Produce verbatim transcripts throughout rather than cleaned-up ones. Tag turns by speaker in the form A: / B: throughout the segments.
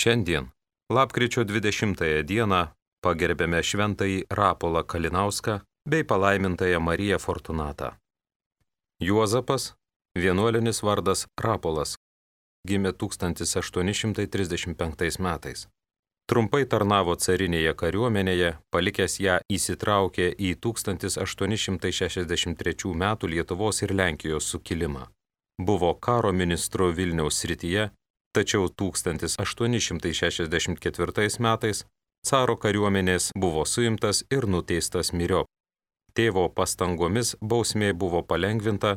A: Šiandien, lapkričio dvidešimtąją dieną, pagerbėme šventąjį Rapolą Kalinauską bei palaimintąją Mariją Fortunatą. Juozapas, vienuolinis vardas Rapolas, gimė tūkstantis aštuoni šimtai trisdešimt penktais metais. Trumpai tarnavo carinėje kariuomenėje, palikęs ją įsitraukė į tūkstantis aštuoni šimtai šešiasdešimt trečių metų Lietuvos ir Lenkijos sukilimą. Buvo karo ministru Vilniaus srityje, tačiau tūkstantis aštuoni šimtai šešiasdešimt ketvirtais metais caro kariuomenės buvo suimtas ir nuteistas myriop. Tėvo pastangomis bausmė buvo palengvinta,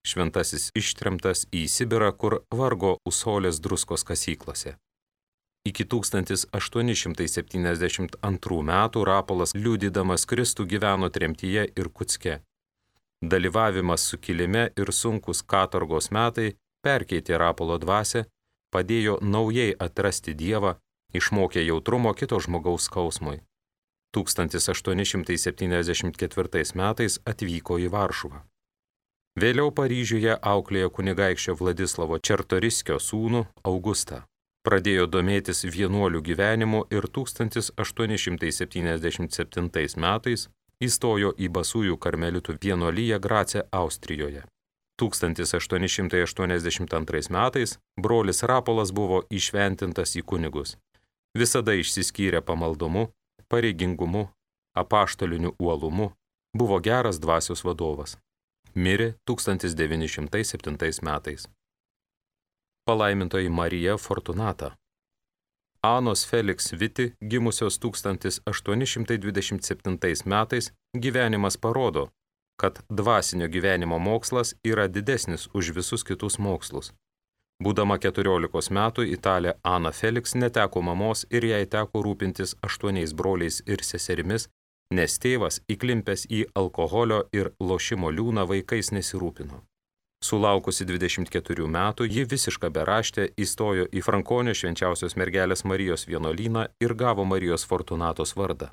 A: šventasis ištremtas į Sibirą, kur vargo Usolės druskos kasyklose. Iki tūkstantis aštuoni šimtai septyniasdešimt antrų metų Rapolas liudydamas Kristų gyveno tremtyje Irkutske. Dalyvavimas sukilime ir sunkus katorgos metai perkeitė Rapolo dvasią, padėjo naujai atrasti Dievą, išmokė jautrumo kito žmogaus skausmui. tūkstantis aštuoni šimtai septyniasdešimt ketvirtais metais atvyko į Varšuvą. Vėliau Paryžiuje auklėjo kunigaikščio Vladislavo Čartoriskio sūnų Augustą. Pradėjo domėtis vienuolių gyvenimu ir tūkstantis aštuoni šimtai septyniasdešimt septintais metais įstojo į Basųjų karmelitų vienuoliją Grace, Austrijoje. tūkstantis aštuoni šimtai aštuoniasdešimt antrais metais brolis Rapolas buvo įšventintas į kunigus. Visada išsiskyrė pamaldumu, pareigingumu, apaštaliniu uolumu, buvo geras dvasios vadovas. Mirė tūkstantis devyni šimtai septintais metais. Palaimintoji Marija Fortunata. Anos Felix Viti, gimusios tūkstantis aštuoni šimtai dvidešimt septintais metais, gyvenimas parodo, kad dvasinio gyvenimo mokslas yra didesnis už visus kitus mokslus. Būdama keturiolikos metų, italė Ana Felix neteko mamos ir jai teko rūpintis aštuoniais broliais ir seserimis, nes tėvas, įklimpęs į alkoholio ir lošimo liūną, vaikais nesirūpino. Sulaukusi dvidešimt keturių metų, ji visiška beraštė įstojo į Frankonio švenčiausios mergelės Marijos vienuolyną ir gavo Marijos Fortunatos vardą.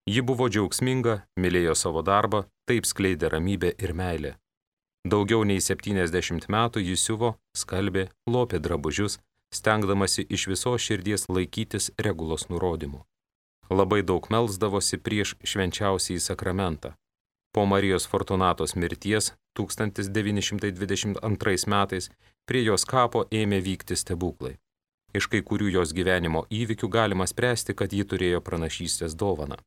A: Ji buvo džiaugsminga, mylėjo savo darbą, taip skleidė ramybę ir meilę. Daugiau nei septyniasdešimt metų ji siuvo, skalbė, lopė drabužius, stengdamasi iš visos širdies laikytis regulos nurodymų. Labai daug melsdavosi prieš švenčiausiąjį sakramentą. Po Marijos Fortunatos mirties tūkstantis devyni šimtai dvidešimt antrais metais prie jos kapo ėmė vykti stebuklai. Iš kai kurių jos gyvenimo įvykių galima spręsti, kad ji turėjo pranašystės dovaną.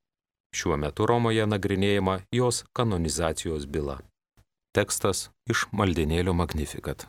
A: Šiuo metu Romoje nagrinėjama jos kanonizacijos byla. Tekstas iš maldinėlio Magnificat.